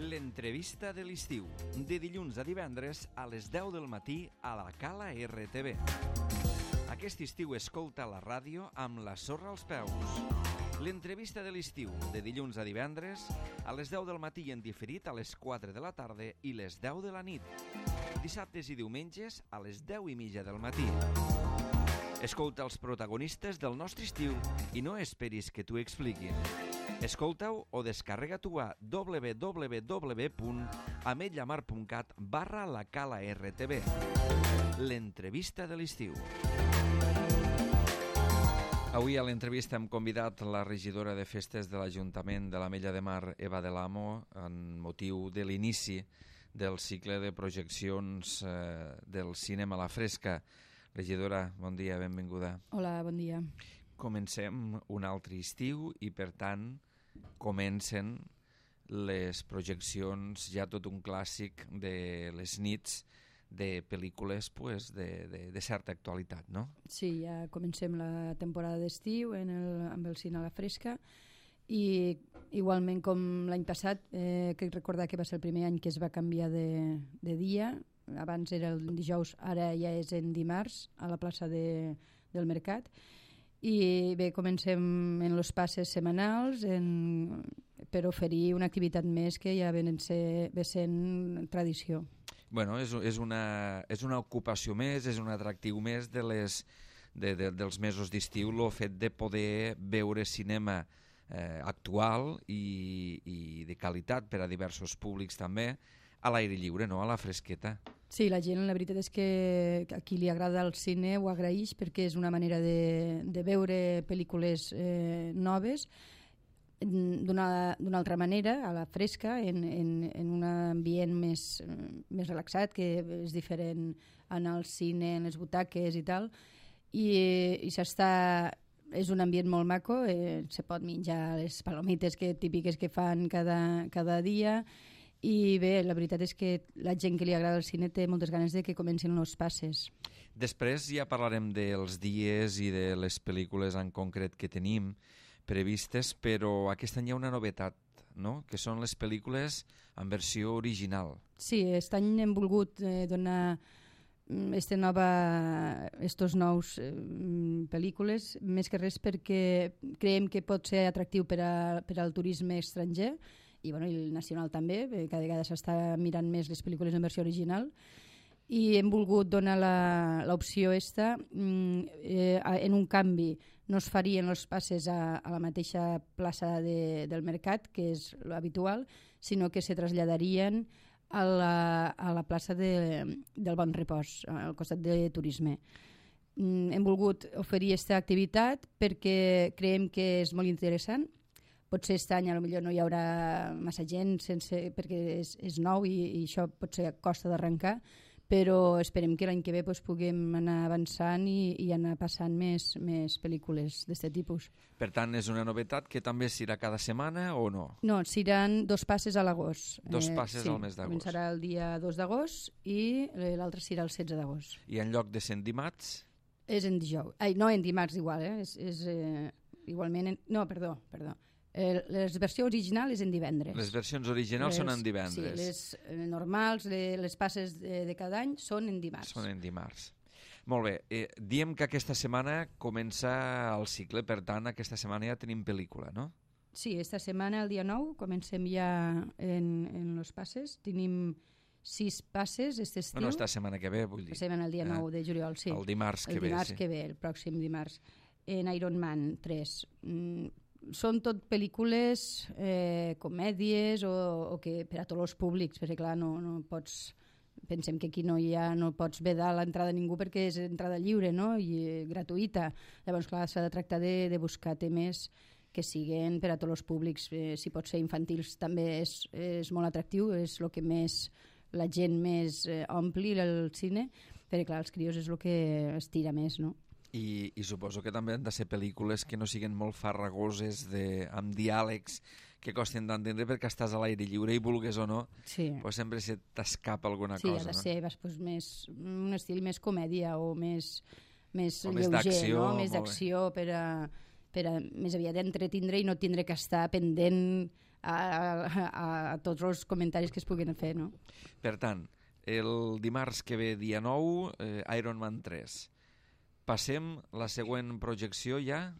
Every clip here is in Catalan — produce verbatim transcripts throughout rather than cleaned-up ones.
L'entrevista de l'estiu, de dilluns a divendres a les deu del matí a la Cala R T V. Aquest estiu escolta la ràdio amb la sorra als peus. L'entrevista de l'estiu, de dilluns a divendres a les deu del matí i en diferit a les quatre de la tarda i les deu de la nit. Dissabtes i diumenges a les deu i mitja del matí. Escolta els protagonistes del nostre estiu i no esperis que t'ho expliquin. Escolta-ho o descarrega-t'ho a w w w punt ametlla mar punt cat barra la Cala R T V. L'entrevista de l'estiu. Avui a l'entrevista hem convidat la regidora de festes de l'Ajuntament de l'Ametlla de Mar, Eva de l'Amo, en motiu de l'inici del cicle de projeccions eh, del cinema a la fresca. Regidora, bon dia, benvinguda. Hola, bon dia. Comencem un altre estiu i, per tant, comencen les projeccions, ja tot un clàssic de les nits de pel·lícules pues, de, de, de certa actualitat, no? Sí, ja comencem la temporada d'estiu en el, amb el cine a la fresca i igualment com l'any passat, eh, crec recordar que va ser el primer any que es va canviar de, de dia. Abans era el dijous, ara ja és en dimarts a la plaça de, del Mercat. I bé, comencem en els passes setmanals en, per oferir una activitat més que ja ve sent tradició. Bueno, és, és, una, és una ocupació més, és un atractiu més de les, de, de, dels mesos d'estiu, el fet de poder veure cinema eh, actual i, i de qualitat per a diversos públics també, a l'aire lliure, no? A la fresqueta. Sí, la gent, la veritat és que a qui li agrada el cine ho agraeix perquè és una manera de, de veure pel·lícules eh, noves d'una d'una altra manera, a la fresca, en, en, en un ambient més, més relaxat, que és diferent anar al cine, en les butaques i tal, i, i s'està... És un ambient molt maco, eh, se pot menjar les palomites que, típiques que fan cada, cada dia. I bé, la veritat és que la gent que li agrada el cine té moltes ganes de que comencin els passes. Després ja parlarem dels dies i de les pel·lícules en concret que tenim previstes, però aquest any hi ha una novetat, no? Que són les pel·lícules en versió original. Sí, aquest any hem volgut eh, donar este nova, estos nous eh, pel·lícules, més que res perquè creiem que pot ser atractiu per, a, per al turisme estranger i, bueno, i el nacional també, cada vegada s'està mirant més les pel·lícules en versió original, i hem volgut donar l'opció esta eh, en un canvi. No es farien els passes a, a la mateixa plaça de, del Mercat, que és l'habitual, sinó que se traslladarien a la, a la plaça de, del Bon Repòs, al costat de turisme. Mm, hem volgut oferir aquesta activitat perquè creiem que és molt interessant. Potser aquest any potser no hi haurà massa gent sense, perquè és, és nou i, i això potser costa d'arrencar, però esperem que l'any que ve pues, puguem anar avançant i, i anar passant més, més pel·lícules d'aquest tipus. Per tant, és una novetat que també s'irà cada setmana o no? No, seran dos passes a l'agost. Dos passes eh, sí, al mes d'agost. Començarà el dia dos d'agost i l'altre serà el setze d'agost. I en lloc de ser en dimarts? És en dijous. Ai, no, en dimarts igual, eh? És, és eh, igualment... En... No, perdó, perdó. Eh, les versió original és en divendres. Les versions originals les, són en divendres. Sí, les eh, normals, les, les passes de, de cada any són en dimarts. Són en dimarts. Molt bé. Eh, diem que aquesta setmana comença el cicle, per tant, aquesta setmana ja tenim pel·lícula, no? Sí, esta setmana, el dia nou, comencem ja en, en los passes. Tenim sis passes aquest estiu. No, no, esta setmana que ve, vull dir. Passem el dia nou de juliol, sí. El dimarts que el ve, dimarts sí. que ve, el pròxim dimarts. En Iron Man tres. Mm, són tot pel·lícules, eh, comèdies o, o que per a tots els públics, perquè clar, no, no pots... Pensem que aquí no hi ha, no pots vedar l'entrada a ningú perquè és entrada lliure, no? I eh, gratuïta. Llavors, clar, s'ha de tractar de, de buscar temes que siguen per a tots els públics. Eh, si pot ser infantils també és, és molt atractiu, és el que més la gent més eh, ompli el cine, perquè clar, els crios és el que estira més, no? I, I suposo que també han de ser pel·lícules que no siguin molt farragoses, de, amb diàlegs que costen d'entendre perquè estàs a l'aire lliure i vulgues o no, sí. Pues sempre se t'escapa alguna sí, cosa. Sí, ha de no? ser pues, més, un estil més comèdia o més, més o més lleuger, no? Molt més d'acció per a, per a més aviat entretindre i no tindre que estar pendent a, a, a tots els comentaris que es puguin fer, no? Per tant, el dimarts que ve, dia nou, eh, Iron Man tres. Passem la següent projecció ja?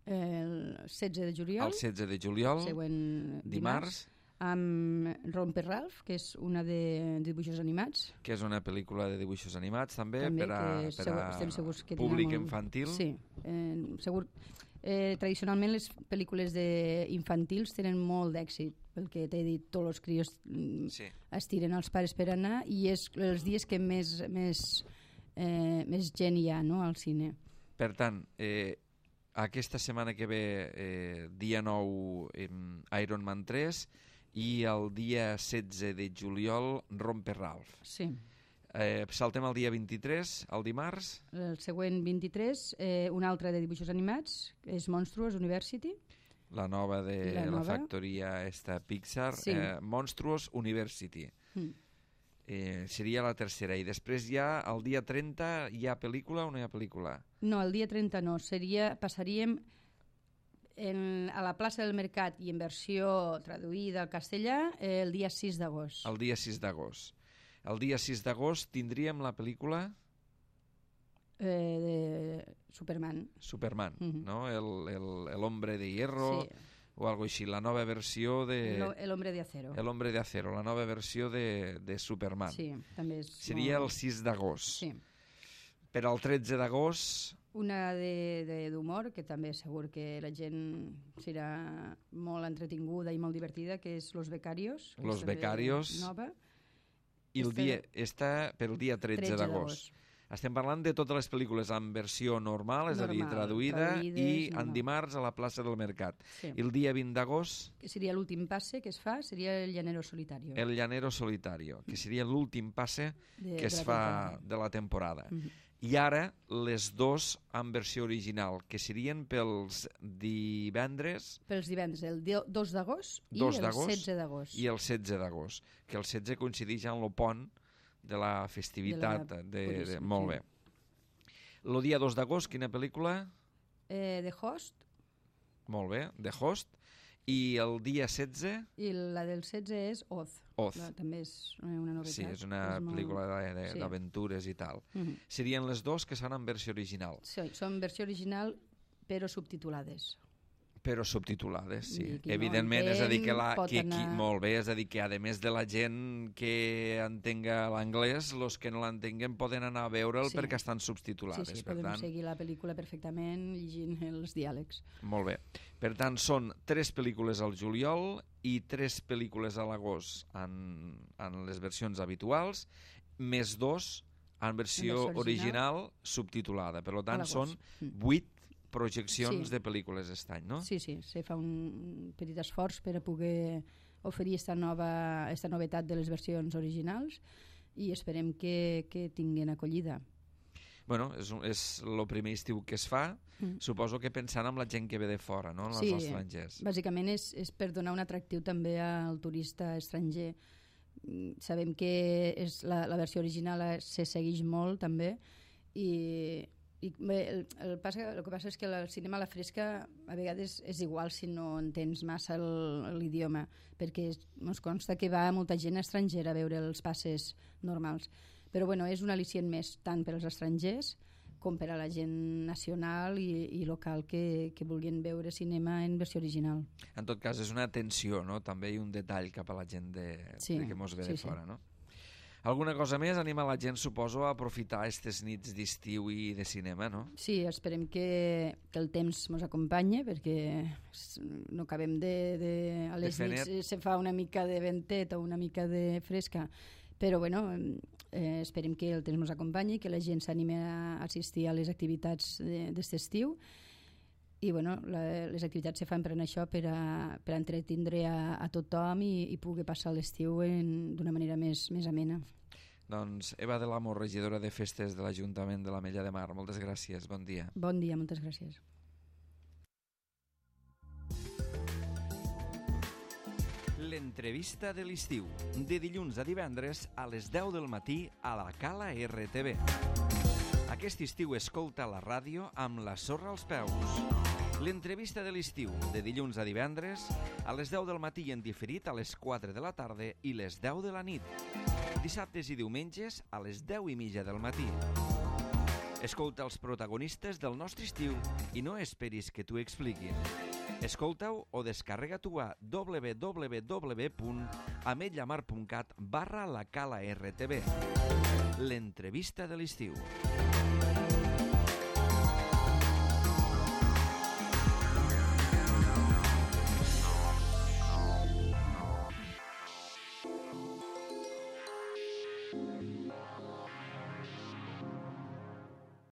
El setze de juliol. El setze de juliol, següent dimarts. dimarts. Amb Romper Ralph, que és una de dibuixos animats. Que és una pel·lícula de dibuixos animats, també, també per a, per segur, a estem segurs que públic molt... infantil. Sí, eh, segur. Eh, tradicionalment les pel·lícules de infantils tenen molt d'èxit, pel que t'he dit, tots els crios sí. estiren els pares per anar, i és els dies que més, més, eh, més gent hi ha, no?, al cine. Per tant, eh, aquesta setmana que ve, eh, dia nou, eh, Iron Man tres, i el dia setze de juliol, Romper Ralph. Sí. Eh, saltem el dia vint-i-tres, el dimarts. El següent vint-i-tres, eh, un altre de dibuixos animats, és Monstruous University. La nova de la, la nova. factoria esta Pixar, sí. eh, Monstruous University. Mm. Eh, seria la tercera. I després ja, el dia trenta, hi ha pel·lícula o no hi ha pel·lícula? No, el dia trenta no. Seria, passaríem en, a la plaça del Mercat i en versió traduïda al castellà eh, el dia sis d'agost. El dia sis d'agost. El dia sis d'agost tindríem la pel·lícula... Eh, de Superman. Superman, uh -huh. no? El, el, el Hombre de Hierro, sí. o algo així, la nova versió de... El, el Hombre de Acero. El Hombre de Acero, la nova versió de, de Superman. Sí, també és... Seria molt... el sis d'agost. Sí. Per al tretze d'agost... Una d'humor, que també segur que la gent serà molt entretinguda i molt divertida, que és Los Becarios. Los Becarios. Nova. I el este... dia, està per el dia tretze d'agost. Estem parlant de totes les pel·lícules en versió normal, és normal, a dir, traduïda, traduïdes, i normal. en dimarts a la plaça del Mercat. Sí. I el dia vint d'agost... Que seria l'últim passe que es fa, seria el Llanero Solitario. El Llanero Solitario, que seria l'últim passe de, que es de fa temporada. de la temporada. Mm -hmm. I ara, les dos en versió original, que serien pels divendres... Pels divendres, el dos d'agost i el setze d'agost. I el setze d'agost, que el setze coincideix amb el pont de la festivitat. De, la... de, de, de, molt sí. bé. El dia dos d'agost, quina pel·lícula? Eh, The Host. Molt bé, The Host. I el dia setze? I la del setze és Oz. Oz. La, també és una novetat. Sí, és una és pel·lícula molt... d'aventures sí. i tal. Uh -huh. Serien les dos que són en versió original. Sí, són versió original, però subtitulades. Però subtitulades, sí. Qui Evidentment, no entén, és a dir que, la, que anar... qui, molt bé, és a dir que a més de la gent que entenga l'anglès, els que no l'entenguen poden anar a veure'l sí. perquè estan subtitulades. Sí, sí, per podem tant... seguir la pel·lícula perfectament llegint els diàlegs. Molt bé. Per tant, són tres pel·lícules al juliol i tres pel·lícules a l'agost en, en les versions habituals, més dos en versió, en versió original, original subtitulada. Per tant, són vuit projeccions sí. de pel·lícules aquest any, no? Sí, sí, se fa un petit esforç per a poder oferir esta nova, esta novetat de les versions originals i esperem que, que tinguin acollida. Bueno, és, és el primer estiu que es fa, mm. suposo que pensant en la gent que ve de fora, no? En sí, els estrangers. Bàsicament és, és per donar un atractiu també al turista estranger. Sabem que és la, la versió original se segueix molt també i I bé, el, el, passa, el que passa és que el cinema a la fresca a vegades és igual si no entens massa l'idioma, perquè ens consta que va molta gent estrangera a veure els passes normals. Però bueno, és un al·licient més tant per als estrangers com per a la gent nacional i, i local que, que vulguin veure cinema en versió original. En tot cas, és una atenció, no? També hi ha un detall cap a la gent de, sí, de que mos ve sí, de fora, sí. no? Alguna cosa més? Anima la gent, suposo, a aprofitar aquestes nits d'estiu i de cinema, no? Sí, esperem que, que el temps ens acompanyi, perquè no acabem de... de a les de nits net. Se fa una mica de ventet o una mica de fresca, però bueno, eh, esperem que el temps ens acompanyi, que la gent s'animi a assistir a les activitats d'aquest estiu. I bueno, la, les activitats se fan per això, per a, per a entretindre a, a tothom i, i pugui passar l'estiu d'una manera més, més amena. Doncs Eva de l'Amo, regidora de Festes de l'Ajuntament de l'Ametlla de Mar, moltes gràcies, bon dia. Bon dia, moltes gràcies. L'entrevista de l'estiu, de dilluns a divendres a les deu del matí a la Cala R T V. Aquest estiu escolta la ràdio amb la sorra als peus. L'entrevista de l'estiu, de dilluns a divendres, a les deu del matí i en diferit a les quatre de la tarda i les deu de la nit. Dissabtes i diumenges a les deu i mitja del matí. Escolta els protagonistes del nostre estiu i no esperis que t'ho expliquin. Escolta-ho o descarrega-t'ho a w w w punt ametlla mar punt cat barra la cala R T B. L'entrevista de l'estiu.